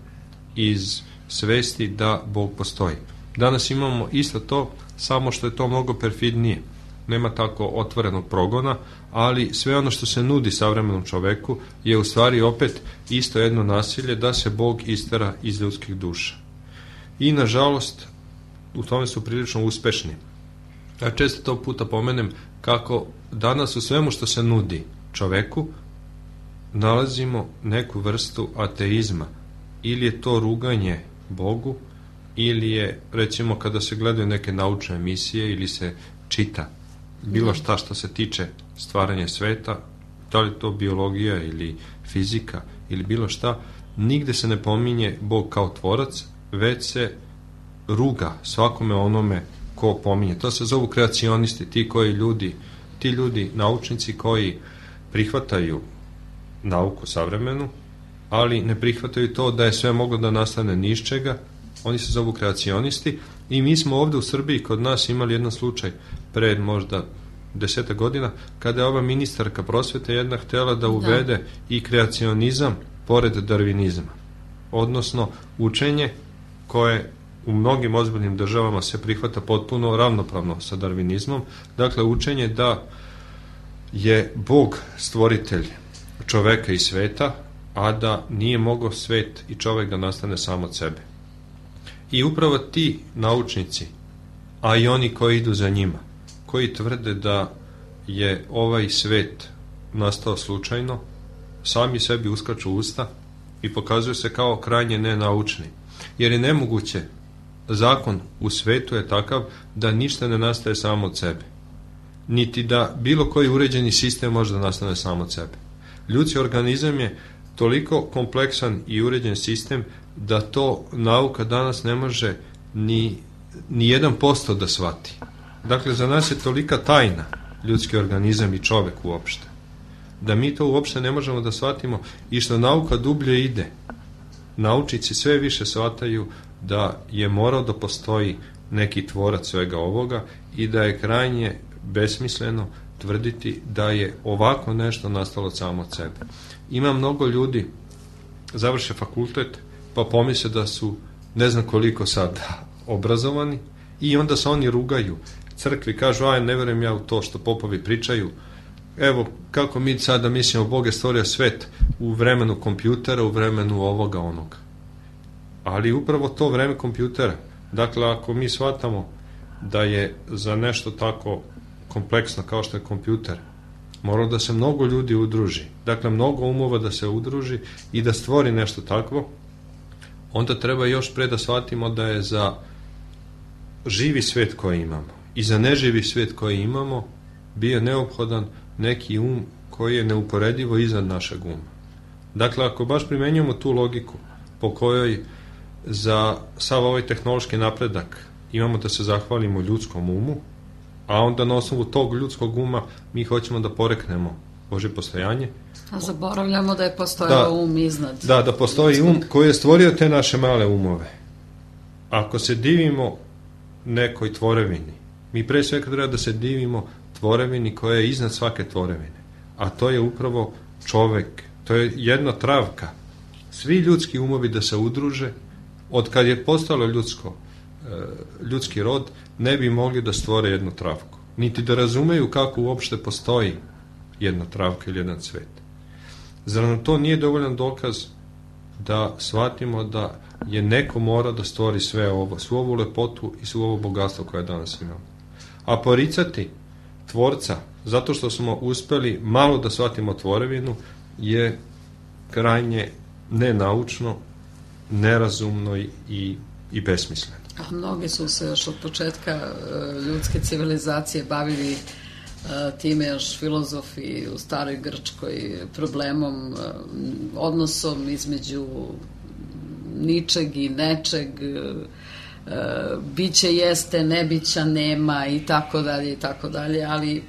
iz svesti da Bog postoji. Danas imamo isto to, samo što je to mnogo perfidnije. Nema tako otvorenog progona, ali sve ono što se nudi savremenom čoveku je u stvari opet isto jedno nasilje da se Bog istera iz ljudskih duša. I nažalost u tome su prilično uspešni. Ja često to puta pomenem kako danas u svemu što se nudi čoveku nalazimo neku vrstu ateizma. Ili je to ruganje Bogu, ili je, recimo, kada se gledaju neke naučne emisije ili se čita bilo šta što se tiče stvaranja sveta, da li to biologija ili fizika ili bilo šta, nigde se ne pominje Bog kao tvorac, već se ruga svakome onome ko pominje. To se zovu kreacionisti, ti koji ljudi, ti ljudi, naučnici koji prihvataju nauku savremenu, ali ne prihvataju to da je sve moglo da nastane ni iz čega. Oni se zovu kreacionisti i mi smo ovde u Srbiji kod nas imali jedan slučaj pred možda deseta godina kada je ova ministarka prosvete jedna htela da uvede da. i kreacionizam pored darvinizma. Odnosno učenje koje u mnogim ozbiljnim državama se prihvata potpuno ravnopravno sa darvinizmom. Dakle, učenje da je Bog stvoritelj čoveka i sveta, a da nije mogao svet i čovek da nastane sam od sebe. I upravo ti naučnici, a i oni koji idu za njima, koji tvrde da je ovaj svet nastao slučajno, sami sebi uskaču usta i pokazuju se kao krajnje nenaučni. Jer je nemoguće, zakon u svetu je takav da ništa ne nastaje samo od sebe. Niti da bilo koji uređeni sistem može da nastane samo od sebe. Ljudski organizam je toliko kompleksan i uređen sistem da to nauka danas ne može ni, ni jedan posto da shvati. Dakle, za nas je tolika tajna ljudski organizam i čovek uopšte, da mi to uopšte ne možemo da shvatimo i što nauka dublje ide. Naučnici sve više shvataju da je morao da postoji neki tvorac svega ovoga i da je krajnje besmisleno tvrditi da je ovako nešto nastalo samo od sebe. Ima mnogo ljudi, završe fakultet, pa pomisle da su ne znam koliko sada obrazovani i onda se oni rugaju crkvi, kažu, aj, ne verujem ja u to što popovi pričaju, evo kako mi sada mislimo Bog je stvorio svet u vremenu kompjutera, u vremenu ovoga onoga. Ali upravo to vreme kompjutera, dakle ako mi shvatamo da je za nešto tako kompleksno kao što je kompjuter moralo da se mnogo ljudi udruži, dakle mnogo umova da se udruži i da stvori nešto takvo, onda treba još pre da shvatimo da je za živi svet koji imamo i za neživi svet koji imamo bio neophodan neki um koji je neuporedivo iznad našeg uma. Dakle, ako baš primenjujemo tu logiku po kojoj za sav ovaj tehnološki napredak imamo da se zahvalimo ljudskom umu, a onda na osnovu tog ljudskog uma mi hoćemo da poreknemo Božje postojanje. A zaboravljamo da je postojao da, um iznad. Da, da postoji um koji je stvorio te naše male umove. Ako se divimo nekoj tvorevini, mi pre svega treba da se divimo tvorevini koja je iznad svake tvorevine. A to je upravo čovek. To je jedna travka. Svi ljudski umovi da se udruže, od kad je postalo ljudsko, ljudski rod, ne bi mogli da stvore jednu travku. Niti da razumeju kako uopšte postoji jedna travka ili jedan cvet. Zar nam to nije dovoljan dokaz da shvatimo da je neko mora da stvori sve ovo, svu ovu lepotu i svu ovo bogatstvo koje danas imamo. A poricati tvorca, zato što smo uspeli malo da shvatimo tvorevinu, je krajnje nenaučno, nerazumno i, i besmisleno. A mnogi su se još od početka ljudske civilizacije bavili time, još filozofi u staroj Grčkoj, problemom, odnosom između ničeg i nečeg, biće jeste, nebića nema i tako dalje i tako dalje, ali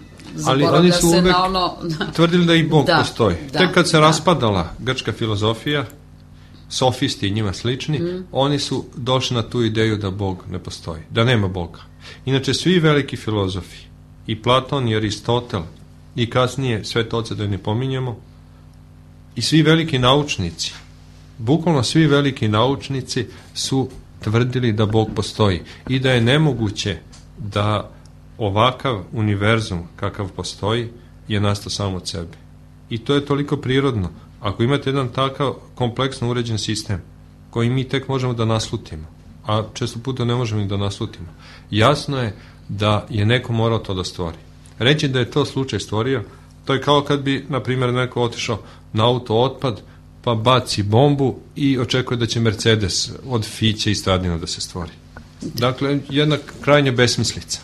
ali oni su uvek na ono... tvrdili da i Bog da, postoji. Da, Tek kad se da. raspadala grčka filozofija, sofisti i njima slični, mm. oni su došli na tu ideju da Bog ne postoji, da nema Boga. Inače, svi veliki filozofi, i Platon, i Aristotel, i kasnije Svete oce da ne pominjemo, i svi veliki naučnici Bukvalno svi veliki naučnici su tvrdili da Bog postoji i da je nemoguće da ovakav univerzum kakav postoji je nastao samo od sebe. I to je toliko prirodno. Ako imate jedan takav kompleksno uređen sistem koji mi tek možemo da naslutimo, a često puta ne možemo i da naslutimo, jasno je da je neko morao to da stvori. Reći da je to slučaj stvorio, to je kao kad bi, na primjer, neko otišao na auto otpad, pa baci bombu i očekuje da će Mercedes od fiće i stradina da se stvori. Dakle, jedna krajnja besmislica.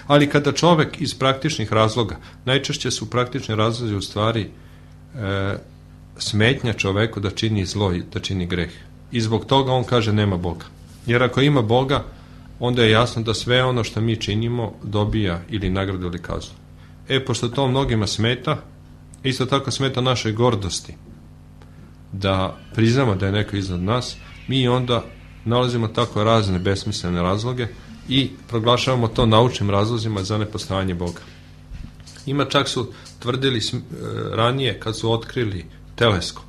Ali kada čovek iz praktičnih razloga, najčešće su praktični razlozi u stvari e, smetnja čoveku da čini zlo i da čini greh. I zbog toga on kaže nema Boga. Jer ako ima Boga, onda je jasno da sve ono što mi činimo dobija ili nagradu ili kaznu. E, pošto to mnogima smeta, isto tako smeta našoj gordosti, da priznamo da je neko iznad nas, mi onda nalazimo tako razne besmislene razloge i proglašavamo to naučnim razlozima za nepostojanje Boga. Ima čak su tvrdili ranije kad su otkrili teleskop,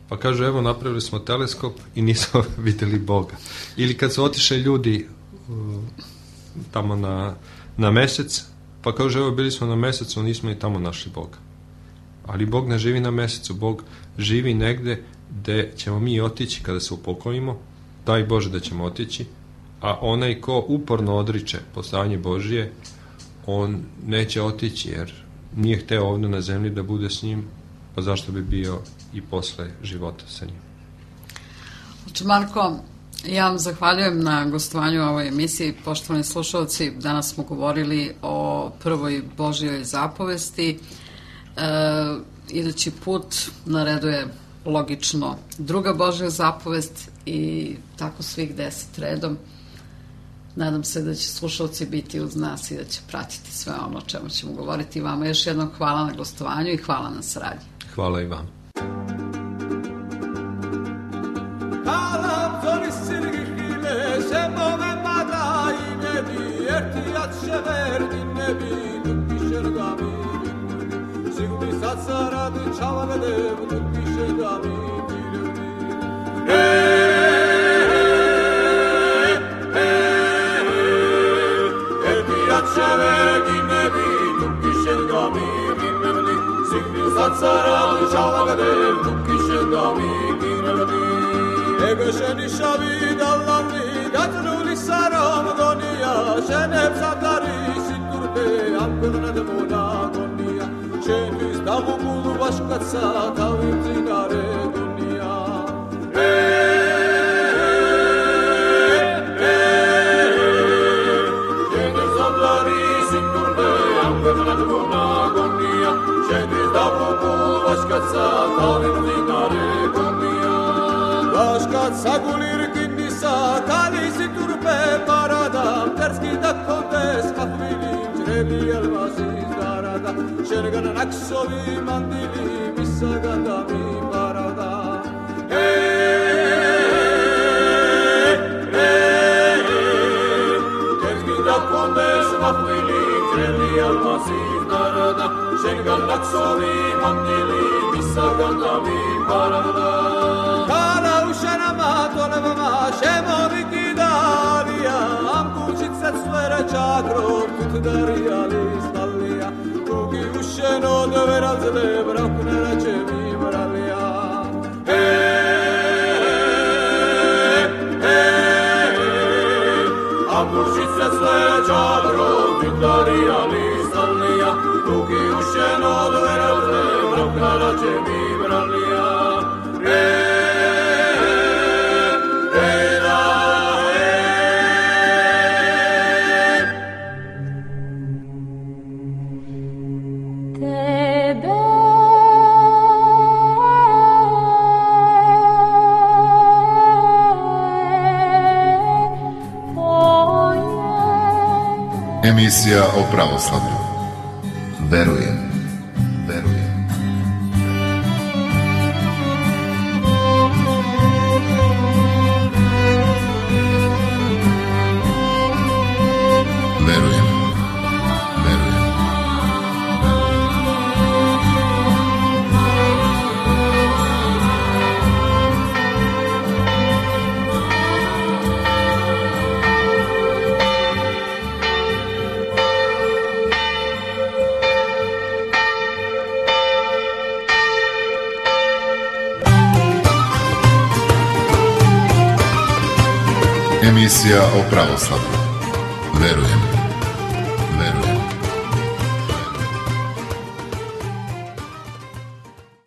pa kažu evo napravili smo teleskop i nismo videli Boga. Ili kad su otišli ljudi tamo na, na mesec, pa kažu evo bili smo na mesecu, nismo i tamo našli Boga. Ali Bog ne živi na mesecu, Bog živi negde gde ćemo mi otići kada se upokojimo, daj Bože da ćemo otići, a onaj ko uporno odriče postojanje Božije, on neće otići jer nije hteo ovdje na zemlji da bude s njim, pa zašto bi bio i posle života sa njim. Oče Marko, ja vam zahvaljujem na gostovanju u ovoj emisiji. Poštovani slušalci, danas smo govorili o prvoj Božjoj zapovesti. E, idući put na redu je logično druga Božja zapovest i tako svih deset redom. Nadam se da će slušalci biti uz nas i da će pratiti sve ono o čemu ćemo govoriti. Vama još jednom hvala na gostovanju i hvala na saradnji. Hvala i vam. Ego sheni shavi dallanni gatruli saram donia shenep satari siturpe amkurnad mona donia sheni stavu bulu başkatsa tavim zinare donia sheni satari siturpe amkurnad mona donia sheni stavu bulu başkatsa tavim zinare donia Başkat sagulir kindisa kalisi turpe paradam terski da kontes kahvilim çrebi elvasiz darada şergan aksovi mandili misaganda mi parada hey hey terski da kontes kahvilim çrebi elvasiz darada şergan aksovi mandili misaganda mi parada Tonavama šemovi kidalija Amkućice cvera čakrom Tutdarija listalija Kuki ušeno doveral zle Brakne rače mi moralija Hej, hej Amkućice cvera čakrom Tutdarija listalija Kuki ušeno doveral zle Brakne rače mi moralija Hej Emisija o pravoslavlju. Verujem. Verujem. Verujem. Verujem. Emisija o pravoslavlju. Verujem. Verujem.